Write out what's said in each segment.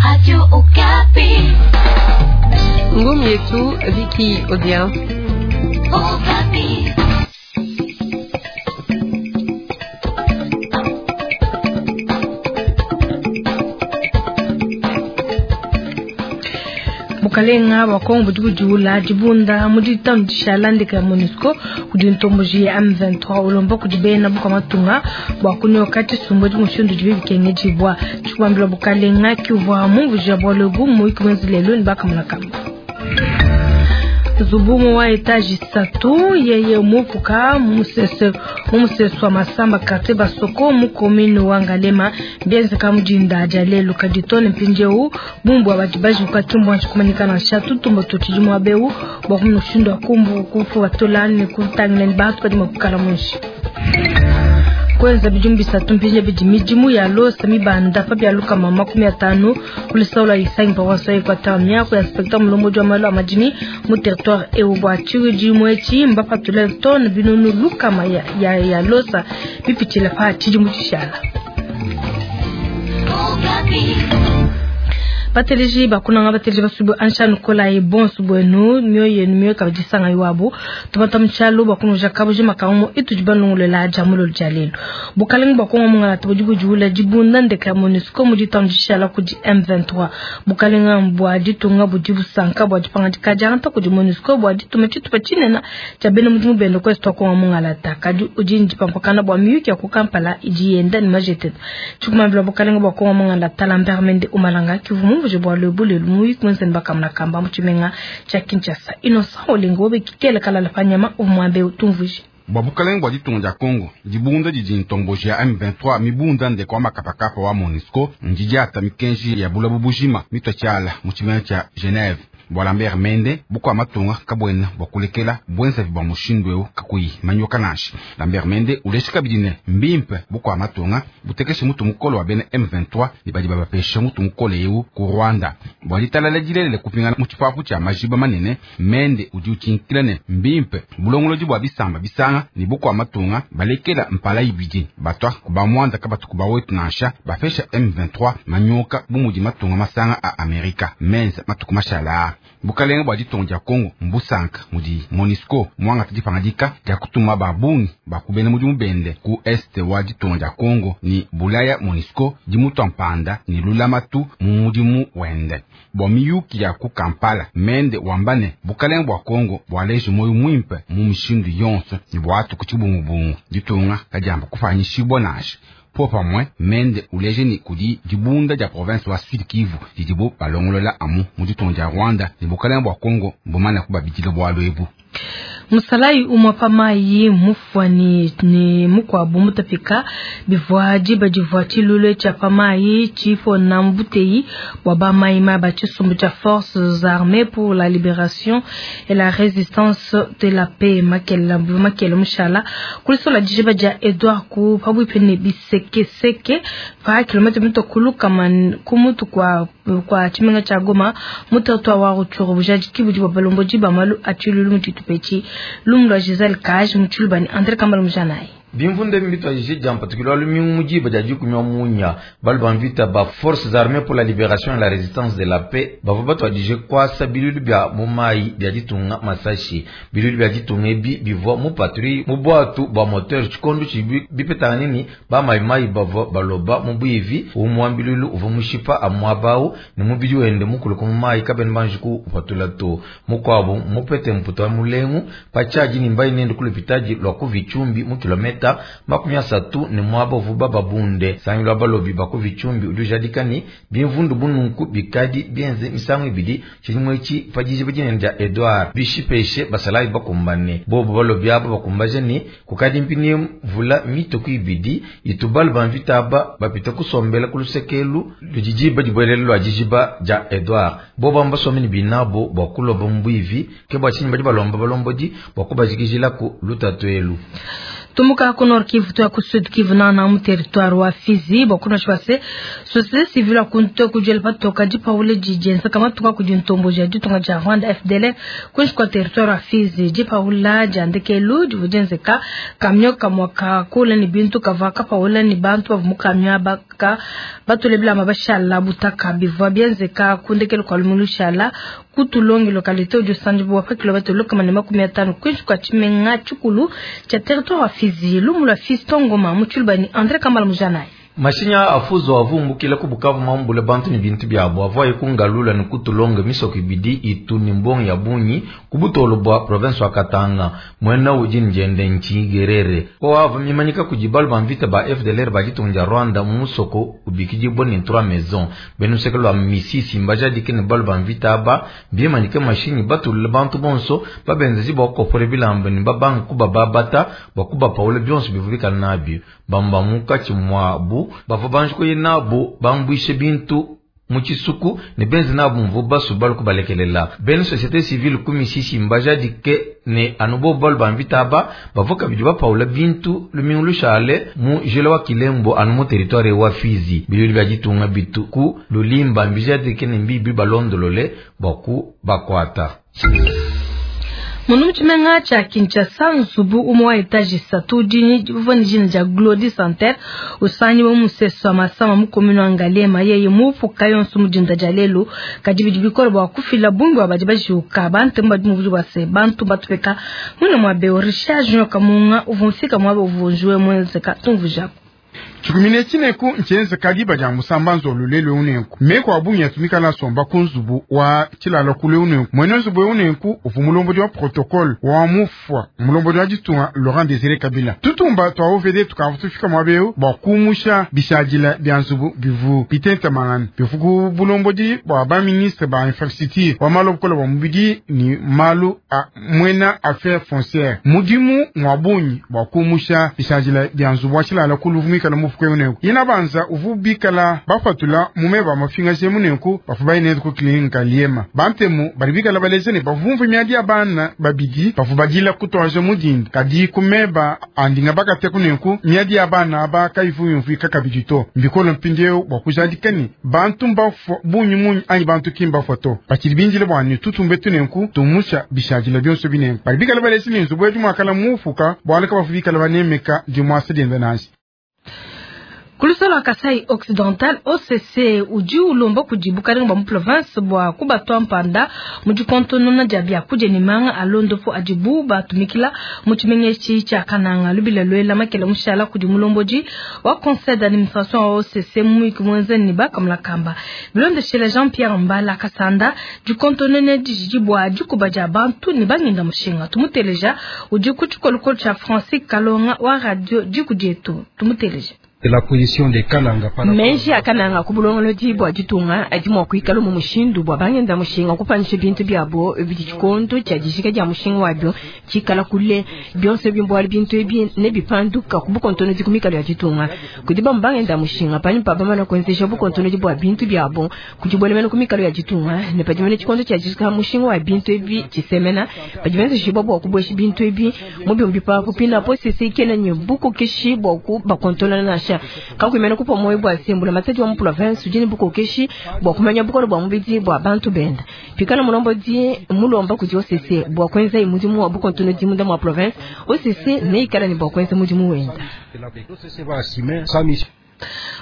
Radio Okapi. Ngumi yetu Vicky Odia. Okapi. Bukalenga bua Kongo budi budiula dibunda mu ditanu dishala ndeka ya MONUSCO kudi ntomboji ya M23 ulomba kudi bena bukua matunga bua kunyoka tshisumbu etshi mushindu udibi bikengedibua. Tshikubambila bukalenga kiuvua mumvuija bualu ebu mu muyuki muenza lelu ne bakamona kamba. Nzubu umue wa etaje isatu yeye mupuka mu musesu wa Masamba quartier Basoko mu commune wa Ngalema bienzeka mu dinda dia lelu kadi too ne mpindieu bungi bua badi bajuka ki mbuanji kumanyika nansha. Tutumba tutshidi muaba eu bua kumona mushindu wa kubatula ne kutangila ni bantu badi mua kuikala muinshi. Kuenza bidimu bisatu mpindia bidi midimu ya losa mibanda pa bia 150 ku lusau lua Isangi paroisse wa Equateur. Miaku ya inspecteur mulombodi wa malu a madimi mu territoire eu bua tshidimu etshi mbapatule tonne 100 ya losa bipitshila pa tshidimu tshishala. Bateleji bakunanga bateleji basubu ansha nukolayi bonso bwenu mioyo yenu mioyo kabidi sanga iwabo tubata mchalo bakunuja kabuji makamu itudi banungulela ja mulolo ja lelo bukalenga bwa Kongo mungala budi budiula dibunda ndeka ya MONUSCO mu ditanu dishala kudi M23 bukalenga bua ditunga budi busanka bua dipangadika diangata kudi MONUSCO bua dituma tshitupa tshinene tshia bena mudimu bende ku Est wa Kongo mungala kadi udi ndipampakana bua miyuki ya ku Kampala idi yenda ne majetete tshikumambila bukalenga bwa Kongo mungala Lambert Mende Omalanga kivu mumvuje bua lelu lelu muyuki muenza ne bakamona kamba mu tshimenga tshia Kinshasa Innocent Olengo obe kikele kalala pa nyama uvua tumvuje. Bua bukalenga bua ditunga dia Kongo dibunda didi ntomboji ya M23 mibunda ndeko wa makapakapa wa MONUSCO ndidiata mikenji ya bulabu bujima mitwa tshiala mu tshimenga tshia Geneve. Bua Lambert Mende bukua matunga kabwena bua kulekela bwenzavi bua mushindu eu kakuyi manyoka nansha. Lambert Mende ulesha kabidi ne mbimpe bukua matunga butekeshe mutu mukolo wa bena M23 ne badi babapesha mutu mukolo eu ku Rwanda. Bua ditalala dilelele kupingana mu tshipapu tshia majiba manene Mende udi utshinkila ne mbimpe bulongolodi bua bisamba bisanga ne bukua matunga balekela mpala ibidi batwa kuba mwanda kabatu kuba wetu nansha bapesha M23 manyoka bu mudi matunga masanga a Amerika menza matuku mashala. Bukalenga bua ditunga dia Kongo mbusanka mudi MONUSCO mwangata dipangadika dia kutuma babungi bakubena mudimu bende ku est wa ditunga dia Kongo ni bulaya MONUSCO dimutwa mpanda ni lulamatu mu mudimu wende. Bua miyuki ya ku Kampala Mende wambane bukalenga bua Kongo bualeje moyo mwimpe mu mishindu yonso ni bwatu ku tshibungubungu ditunga kadiamba kupanyishibwa nansha. Po pamwe Mende uleje ni kudi dibunda dia province wa Sud Kivu didibo balongolola amu mu ditunga dia Rwanda ne bukalenga bua Kongo mbumana kubabidila bualu ebu. Musalayi umwe pa mayi mufwani ni mukwabu mutapika bivua diba divua tshilulu tshia pa mayi tshipona mbuteyi bua ba mayi ma ba tshisumbu tshia forces armées pour la libération et la résistance de la paix makela makela mushala kulisola dijiba dia Edouard ku pabwipe ne bisekeseke pa kilomètre mitokulu kama kumutu kwa kwa tshimenga tshia Goma mu territoire wa Rutshuru bujadiki budi bua balombodi ba malu a tshilulu mu tshitupa etshi lumu lua Giselle Kaj mu tshilubani André Kambala Mujanayi. Bimvunde mbitwajije dia mpatukilo lumingu mujiba dia dikumi wa munya balu bamvita ba forces armées pour la libération et la résistance de la paix bavua batwadije kwasa bilulu bia mu mayi bia ditunga masashi bilulu bia ditunga ebi bivua mu patrouille mu bwatu bua moteur tshikondo tshibi bipetangana nini ba mayi bavua baloba mu bwivi umwa bilulu uvua mushipa amwabawu ne mubidi wende mukulu mu mayi kabene banji kupatula to mukwabo mupete mputa wa mulengu pachaji ni mbayi nende kulupitaji lwa kuvichumbi mu kilometa 30 ne mwaba uvuba babunde sangilo balobi bakuvichumbi udi ujadika bimvundu bununku bikadi bienze misangu ibidi tshilimwe etshi pajiji badinene dia Edouard bishipeshe basalayi bakumbane bobo balobi abo bakumbaje ni kukadi mpini mvula mitoku ibidi itubalu bamvita aba bapita kusombela kulusekelu ludijiba dibwelele lwa dijiba dia Edouard bobo ambasome ni binabo bwa kuloba mbwivi ke bwa tshinyi badi balomba balombodi bwa kubajikijilaku lutatu elu. Tumuka ku Nord Kivu tuya ku Sud Kivu nana mu territoire wa Fizi bua kunasha se société civile akunte kujela patoka dipawule didienzeka matuka kudi ntomboji ya ditunga dia Rwanda FDLR kunshi kwa territoire wa Fizi. Dipawula dia ndekelu divua dienzeka camion kamua kakula ni bintu kavua kapawula ni bantu bavua mu camion aba ka batule bilamba bashala butaka bivua bienzeka ku ndekelu kua lumingu lushala kutulongi localité udi usanjibua pa kilomètre lukama ne 50 kunshi kwa tshimenga tshikulu tshia territoire wa Fizi. Lumu lua Fiston Ngoma mu Tshilubani André Kambala Mujanayi. Mashinya afuzo avumbukila ku Bukavu mambule bantu ni bintu byabo avoye kungalula ni kutulonga misoko ibidi itu ni mbongo ya bunyi kubutolo bwa province wa Katanga mwena uji njende nchigerere ko ava mimanyika kujibalu ba mvita ba FDLR bajitunja Rwanda musoko ubikiji ni trois maisons benu lwa misisi mbajadike ni balu ba mvita aba bimanyika mashinyi batulula bantu bonso babenzezi bwa kopore bilamba ni babanga kuba babata bakuba paula byonso bivubika nabyo bamba mukachi mwabu bava banji nabo bambwishe bintu mu tshisuku ne benzi nabo mvu basu balu kubalekelela bene société civile ku misisi mbajadike ne anu bo balu bamvita aba bava kabidi bapaula bintu lumingu lushale mu jela wa Kilembo anu mu territoire wa Fizi. Bilili bya ditunga bitu ku lulimba mbijadike ne mbibi balondolole baku bakwata. Munu mutshimenga tshia Kinshasa nzubu umue wa etage isatu udi uvua ne dina dia Glody Center usangiwe mu musesu wa Masama mu commune wa Ngaliema yeye mupuka yonso mu dinda dia lelu kadi bidi bikole bua kufila bungi bua badi bajiuka bantu badi mubuji bua se bantu batupeka mwine mua beo Richard Junior Kamunga uvua mfika muaba uvua mwenzeka tumvujaku. Chikumine chineku nchenze kadiba dia musamba nzolu lelo unenku meko abungi yatumika la somba kunzubu wa chilalo kule unenku mwene nzubu unenku uvu mulombodi wa protocole wa mufwa mulombodi wa ditunga Laurent Désiré Kabila tutumba twa OVD tukavutufika mwabeu bwa kumusha bishadila bya nzubu bivu bitenta mangana bifuku bulombodi bwa ba ministre ba infrastructure wa malokola wa mubidi ni malu a mwena affaire foncière mudimu mwabunyi bwa kumusha bishadila bya nzubu wa chilalo kuluvumika na mufuko unenku ina banza uvu bikala bafatula mume ba mafinga je munenku bafu bayine ku klinika liema bantemu bali bikala baleze ne bavumvu miadi ya bana babidi bafu badila kutwaje mudindi kadi kumeba andinga bakate kunenku miadi ya bana aba kaivu yumvu kakabidi to mbikolo mpindeo bwa kujadikani bantu mbafu bunyu munyu anyi bantu kimba foto bakili binjile bwa ni tutumbe tunenku tumusha bishajila byonso binenku bali bikala baleze ne nzubu edu mwakala mufuka bwaleka bafu bikala banemeka dimwasa denda nasi. Kulusolo wa Kasai Occidental OCC udi ulomba kudi bukalenga bwa mu province bwa kubatwa mpanda mu dikontonona dia biakudia ne manga alondopo adibu batumikila mu tshimenga tshia Kananga lubila lwela makela mushala kudi mulombodi wa conseil d'administration wa OCC muiki mwenze ni bakamula kamba bilondeshela Jean-Pierre Mbala Kasanda dikontonone dijidi bwa dikuba dia bantu ne bangenda mushinga tumuteleja udi ku tshikolokolo tshia Francis Kalonga wa radio diku dietu tumuteleja. La position de Kananga par Menji ya Kananga ku bulongolodi bwa ditunga adi mua kuikala mu mushindu bwa bangenda mushinga kupanyisha bintu byabo bidi tshikondo tshia dijika dia mushinga wabyo tshikala kule byonse bimbwali bintu ebi ne bipanduka ku bukontonodi ku mikalo ya ditunga kudi ba bangenda mushinga panyi pa bamana kuenzesha bukontonodi bwa bintu byabo kudi ku mikalo ya ditunga ne padi mene tshikondo tshia dijika mushinga wa bintu ebi tshisemena padi benzesha bwa kubwesha bintu ebi mu byombi pa kupina po sese kena nye bukokeshi bwa ku bakontola nasha kakwimena kupa moyo bwa sembula matadi wa mu province udi ne bukokeshi bwa kumanya bukolo bwa mubidi bwa bantu benda pikala mulombodi mulomba kudi OCC bwa kwenza imudimu wa bukontonodi munda mwa province OCC neikala ne bwa kwenza mudimu wenda.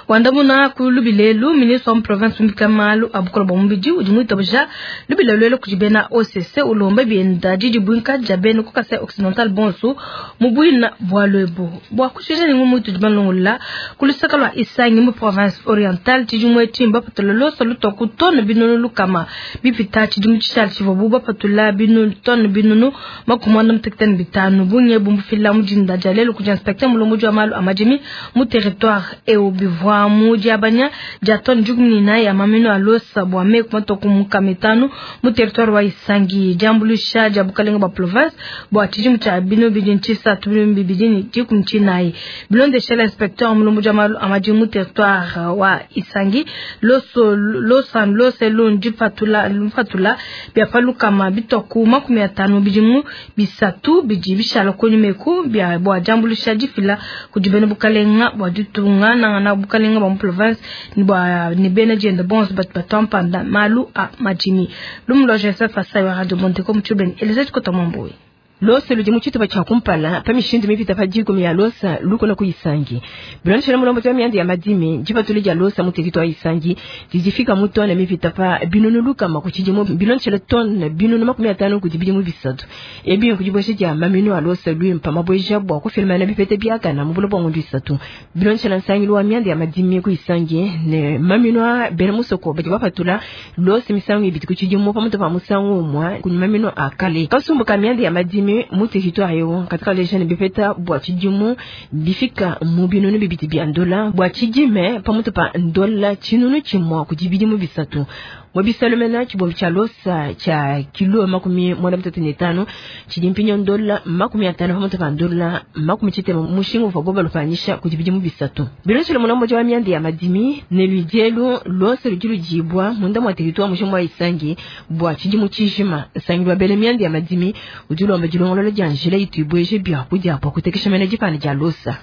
Wandamuna ku lubilelu ministre wa province mbika malu abukolo bwa mubidi udi mwitabuja lubilelu elo kudi bena OCC ulomba bienda didi bwinka dia bena ku Kasai Occidental bonso mu bwina bwa lwebo bwa kushija ni mutu di balongola kulusaka lwa Isangi mu province orientale tshidi timba patula loso lutwa ku tone binunu lukama bipita tshidi mu tshishali tshivua bu bapatula binunu tone binunu 55 bunye bumbufila mu dinda dia lelu kudi inspecteur mulomboji wa malu a madimi mu territoire eu. eu bivua mu diabanya dia tone 14 ya maminu a losa bua meku matue ku nkama itanu mu territoire wa Isangi. Diambuluisha dia bukalenga bua province bua tshidimu tshia binu bidi ntshisatu binu bibidi ne dikumi tshinayi. Bilondeshela inspecteur mulombodi wa malu a madimu mu territoire wa Isangi, loso losa lose lu ndipatula lupatula bia pa lukama bitua ku 50 mu bidimu bisatu bidi bishala kunyima eku bia bua diambuluisha difila kudi bena bukalenga bua ditunga nangana bukalenga bua mu province ne bua ne bena dienda bonso batu batua mpanda malu a madimi. Lumu lua Joseph Asai wa Radio Monteko mu Tshibeni, Elise Tshikota Mwambui. Losa ludi mu tshitupa tshia kumpala pa mishindu mipita pa 10 ya losa lukona ku Isangi. Bilondeshela mulombodi wa mianda ya madimi, dipatula dia losa mu territoire wa Isangi didi mu tone mipita pa 300 ku tshidimu, bilondeshela tone 450 kudi bidimu bisatu. Ebi kudibwesha dia maminu a losa luimpa mabweja bua kufilmana bipete biakana mu buloba bua ngondu isatu. Bilondeshela nsangilu wa mianda ya madimi ku Isangi ne maminu a bena musoko badi bapatula losa misangu ibidi ku tshidimu pamutu pa musangu umue ku maminu a kale. Kasumbu ka mianda ya madimi mu territoire eu katika leja ne bipeta bua tshidimu bifika mu 200 bia ndola bua tshidime pamutu pa ndola 100 kudi bidimu bisatu. Mwabisalumena tshibombi tshia losa tshia kilo 85 tshidi mpinyo ndola 50 pamutu pa ndola 60 mushinga uvua boba lupanyisha kudi bidimu bisatu. Bilondeshile mulombodi wa mianda ya madimi ne ludielu losa ludi ludibua munda mua territoire mushinga wa Isangi bua tshidimu tshijima. Nsangilu wa bena mianda ya madimi udi ulomba dilongolola dia njila itu ibweje bia kudia bua kutekesha mena dipana dia losa.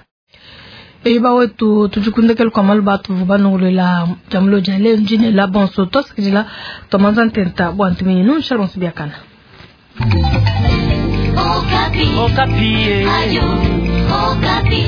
Eba wetu tujikundekele kwa malu batu vanongolela jamulo dia leo njine la bonso tosikidila tomanza ntenta bua ntuminyi nunsha bonso biakana. Okapi. Okapi. Ayo, Okapi.